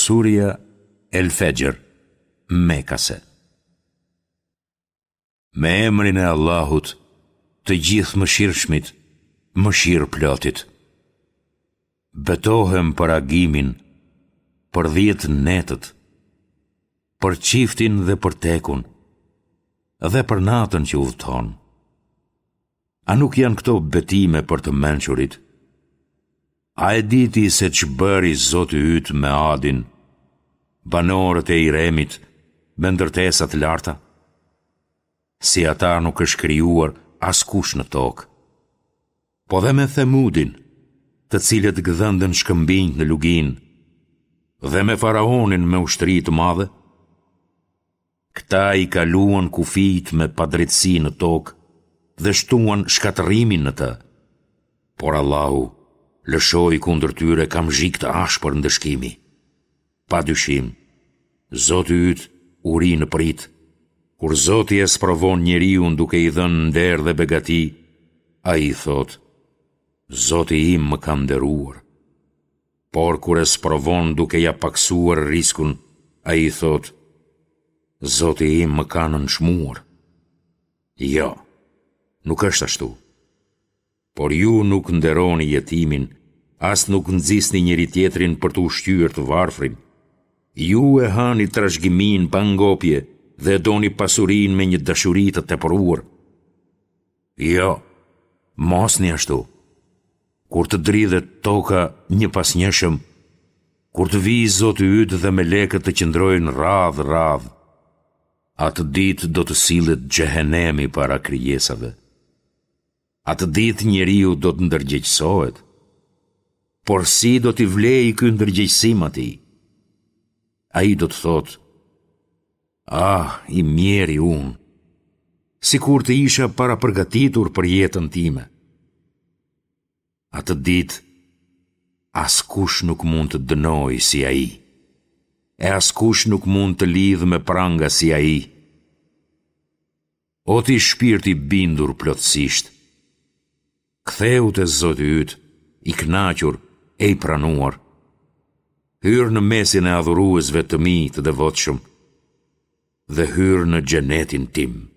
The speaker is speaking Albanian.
Surja El Fexhr, Mekase. Me emrin e Allahut, të Gjithëmëshirshmit, mëshirëplotit. Betohem për agimin, për dhjetë netët, për çiftin dhe për tekun, dhe për natën që udhëton. A nuk janë këto betime për të mençurit? A e di ti se ç'bëri Zoti yt me Adin, banorët e Iremit, me ndërtesa të larta? Si ata nuk është krijuar askush në tokë. Po dhe me Themudin, të cilët gdhendën shkëmbinjtë në luginë, dhe me faraonin me ushtri të madhe? Këta i kaluan kufijtë me padrejtësi në tokë dhe shtuan shkatërrimin në të. Por Allahu lëshoi kundër tyre kamzhik të ashpër ndëshkimi. Pa dyshim, Zoti yt u rri në pritë. Kur Zoti e sprovon njeriun duke i dhënë nder dhe begati, ai thotë, Zoti im më ka nderuar. Por kur e sprovon duke ia pakësuar riskun, ai thotë, Zoti im më ka nënçmuar. Jo, nuk është ashtu. Por ju nuk nderoni jetimin, as nuk nxisni njëri-tjetrin për të ushqyer të varfrin. Ju e hani trashëgiminë pa ngopje dhe e doni pasurinë me një dashuri të tepruar. Jo, mosni ashtu. Kur të dridhet toka njëpasnjëshëm, kur të vijë Zoti yt dhe melekët të qëndrojnë radhë radhë, atë ditë do të sillet xhehenemi para krijesave. Atë ditë njeriu do të ndërgjegjësohet. Por si do t'i vlejë ky ndërgjegjësim atij? Ai do të thotë, Ah, i mjeri unë! Sikur të isha parapërgatitur për jetën time. Atë ditë, askush nuk mund të dënojë si ai, e askush nuk mund të lidhë me pranga si ai. O ti shpirt i bindur plotësisht, kthehu te Zoti yt, i kënaqur e i pranuar. Hyr në mesin e adhuruesve të mi të devotshëm dhe hyr në xhenetin tim.